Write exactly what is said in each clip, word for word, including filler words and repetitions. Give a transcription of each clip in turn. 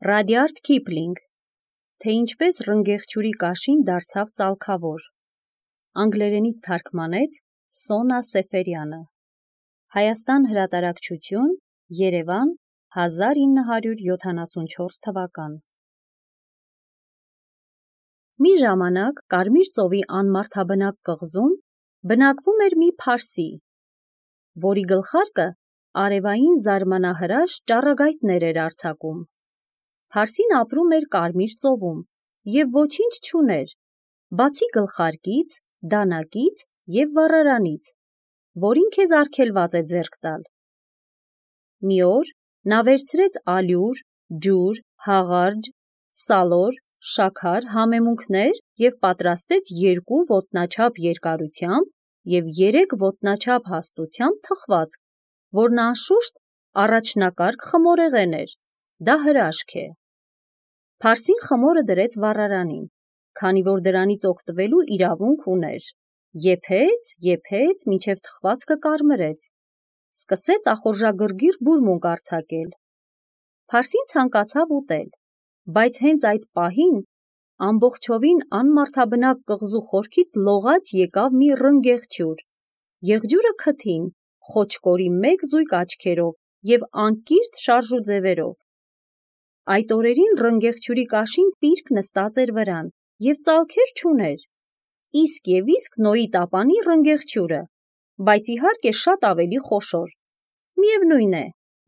Ռադյարդ Քիփլինգ, թե ինչպես ռնգեղջյուրի կաշին դարձավ ծալքավոր։ Անգլերենից թարգմանեց Սոնա Սեֆերյանը։ Հայաստան հրատարակչություն, Երևան, հազար ինը հարյուր յոթանասունչորս թվական։ Մի ժամանակ Կարմիր ծովի անմարդաբնակ կղզում բնակվում էր մի փարսի, որի գլխարկը արևային զարմանահրաշ ճառագայթներ էր արձակում։ Փարսին ապրում էր Կարմիր ծովում և ոչինչ չուներ, բացի գլխարկից, դանակից և վառարանից, որին քեզ արգելված է ձեռք տալ։ Մի օր նա վերցրեց ալյուր, ջուր, հաղարջ, սալոր, շաքար համեմունքներ և պատրաստեց երկու ոտնաչափ երկարությամբ և երեք ոտնաչափ հաստությամբ թխվածք, որն անշուշտ առաջնակարգ խմորեղեն էր, դա հրաշք է։ Փարսին խմորը դրեց վառարանին, քանի որ դրանից օգտվելու իրավունք ուներ, եփեց, եփեց, մինչև թխվածքը կարմրեց, սկսեց ախորժագրգիռ բուրմունք արձակել։ Փարսին ցանկացավ ուտել, բայց հենց այդ պահին ամբողջովին անմարդաբնակ կղզու խորքից լողաց եկավ մի ռնգեղջյուր, եղջյուրը քթին, խոչկորի մեկ զույգ աչքերով և անկիրթ շարժուձևերով։ Այդ օրերին ռնգեղջյուրի կաշին պիրկ նստած էր վրան և ծալքեր չուներ, իսկ և իսկ Նոյի տապանի ռնգեղջյուրը, բայց իհարկե շատ ավելի խոշոր։ Միևնույն է,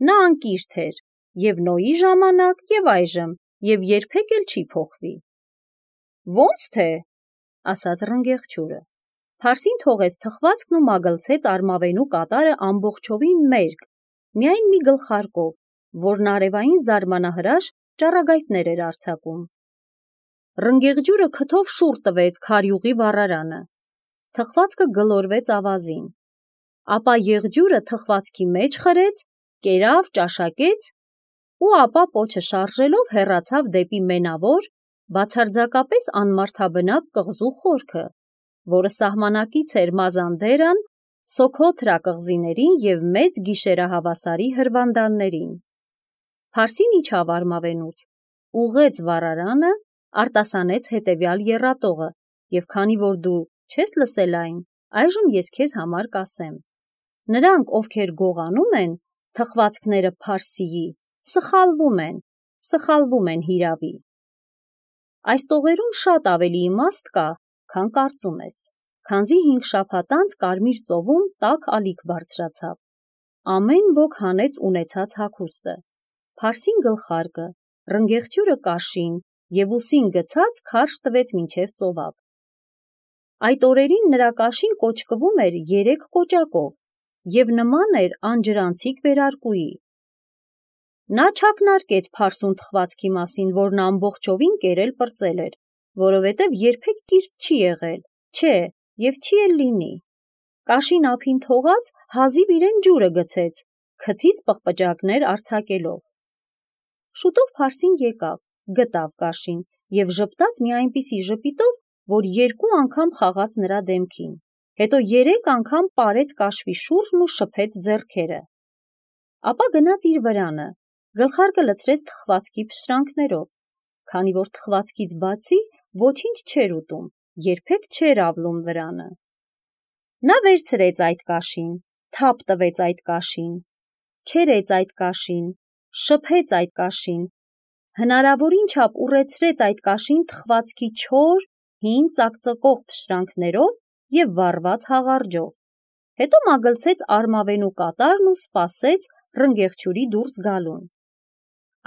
նա անկիրթ էր և Նոյի ժամանակ և այժմ և երբեք էլ չի փոխվի։ Ո՞նց թե, ասաց ռնգեղջյուրը։ Փարսին թողեց թխվածքն ու մագլցեց արմավենու կատարը ամբողջովին մերկ, միայն մի գլխարկով, որն արևային զարմանահրաշ ճառագայթներ էր արձակում։ Ռնգեղջյուրը քթով շուռ տվեց քարյուղի վառարանը։ Թխվածքը գլորվեց ավազին։ Ապա եղջյուրը թխվածքի մեջ խրեց, կերավ, ճաշակեց ու ապա պոչը շարժելով հեռացավ դեպի մենավոր, բացարձակապես անմարդաբնակ կղզու խորքը, որը սահմանակից էր Մազանդերան, Սոքոթրա կղզիներին և մեծ գիշերահավասարի հրվանդաններին։ Փարսին իջավ արմավենուց, ուղղեց վառարանը, արտասանեց հետևյալ եռատողը, և քանի որ դու չես լսել այն, այժմ ես քեզ համար կասեմ։ Նրանք, ովքեր գողանում են թխվածքները Փարսիի, սխալվում են, սխալվում են հիրավի։ Այս տողերում շատ ավելի իմաստ կա, քան կարծում ես, քանզի հինգ շաբաթ անց Կարմիր ծովում տաք ալիք բարձրացավ։ Ամեն ոք հանեց ունեցած հագուստը, Փարսին գլխարկը, ռնգեղջյուրը կաշին և ուսին գցած քարշ տվեց մինչև ծովափ։ Այդ օրերին նրա կաշին կոճկվում էր երեք կոճակով և նման էր անջրանցիկ վերարկուի։ Նա չակնարկեց փարսուն թխվածքի մասին, որն ամբողջովին կերել-պրծել էր, որովհետև երբեք կիրթ չի եղել, չէ, և չի էլ լինի։ Կաշին ափին թողած հազիվ իրեն ջուրը գցեց, քթից պղպջակներ արձակելով։ Շուտով Փարսին եկավ, գտավ կաշին և ժպտաց մի այնպիսի ժպիտով, որ երկու անգամ խաղաց նրա դեմքին, հետո երեք անգամ պարեց կաշվի շուրջն ու շփեց ձեռքերը։ Ապա գնաց իր վրանը, գլխարկը լցրեց թխվածքի փշրանքներով, քանի որ թխվածքից բացի ոչինչ չէր ուտում, երբեք չէր ավլում վրանը։ Նա վերցրեց այդ կաշին, թափ տվեց այդ կաշին, քերեց այդ կաշին, շփեց այդ կաշին, հնարավորին չափ ուռեցրեց այդ կաշին թխվածքի չոր, հին ծակծկող փշրանքներով և վառված հաղարջով, հետո մագլցեց արմավենու կատարն ու սպասեց ռնգեղջյուրի դուրս գալուն։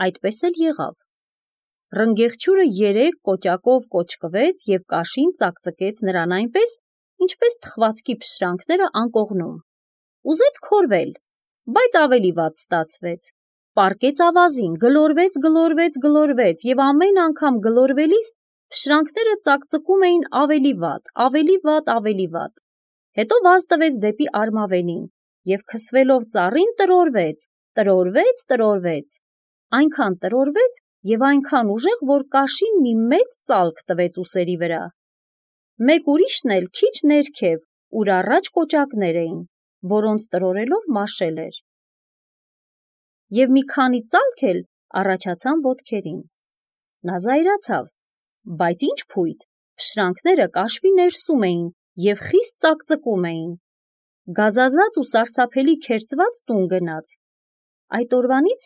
Այդպես էլ եղավ։ Ռնգեղջյուրը երեք կոճակով կոճկվեց և կաշին ծակծկեց նրան այնպես, ինչպես թխվածքի փշրանքները անկողնում։ Ուզեց քորվել, բայց ավելի վատ ստացվեց։ Պառկեց ավազին, գլորվեց, գլորվեց, գլորվեց և ամեն անգամ գլորվելիս փշրանքները ծակծկում էին ավելի վատ, ավելի վատ, ավելի վատ։ Հետո վազ տվեց դեպի արմավենին և քսվելով ծառին տրորվեց, տրորվեց, տրորվեց, այնքան տրորվեց և այնքան ուժեղ, որ կաշին մի մեծ ծալք տվեց ուսերի վրա։ Մեկ ուրիշն էլ քիչ ներքև, ուր առաջ կոճակներ էին, որոնց տրորելով մաշել էր։ Եվ մի քանի ծալք էլ առաջացան ոտքերին։ Նա զայրացավ, բայց ինչ փույթ, փշրանքները կաշվի ներսում էին և խիստ ծակծկում էին։ Գազազած ու սարսափելի քերծված տուն գնաց։ Այդ օրվանից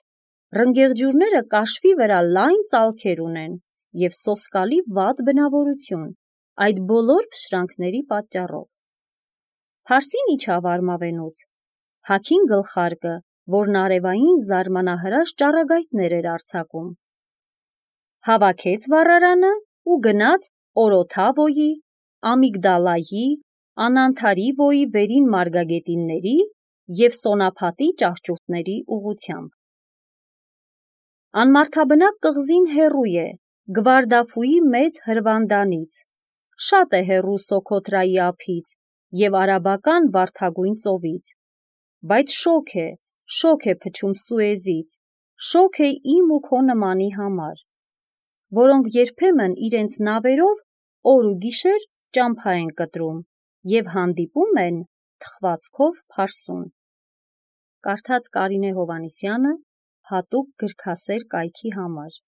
ռնգեղջյուրները կաշվի վրա լայն ծալքեր ունեն և սոսկալի վատ բնավորություն, այդ բոլոր փշրանքների պատճառով։ Փարսին իջավ արմավենուց, հագին գլխարկը, որն արևային զարմանահրաշ ճառագայթներ էր արձակում։ Հավաքեց վառարանը ու գնաց Օրոթավոյի, Ամիգդալայի, Անանթարիվոյի վերին մարգագետինների և Սոնափատի ճահճուտների ուղղությամբ։ Անմարդաբնակ կղզին հեռու է Գվարդաֆուի մեծ հրվանդանից, շատ է հեռու Սոքոթրայի ափից և արաբական վարդագույն ծովից, բայց շոգ է, շոգ է փչում Սուեզից, շոգ է իմ ու քո նմանի համար, որոնք երբեմն իրենց նավերով օր ու գիշեր ճամփա են կտրում և հանդիպում են թխվածքով Փարսում։ Կարդաց Կարինե Հովհաննիսյանը հատուկ գրքասեր կայքի համար։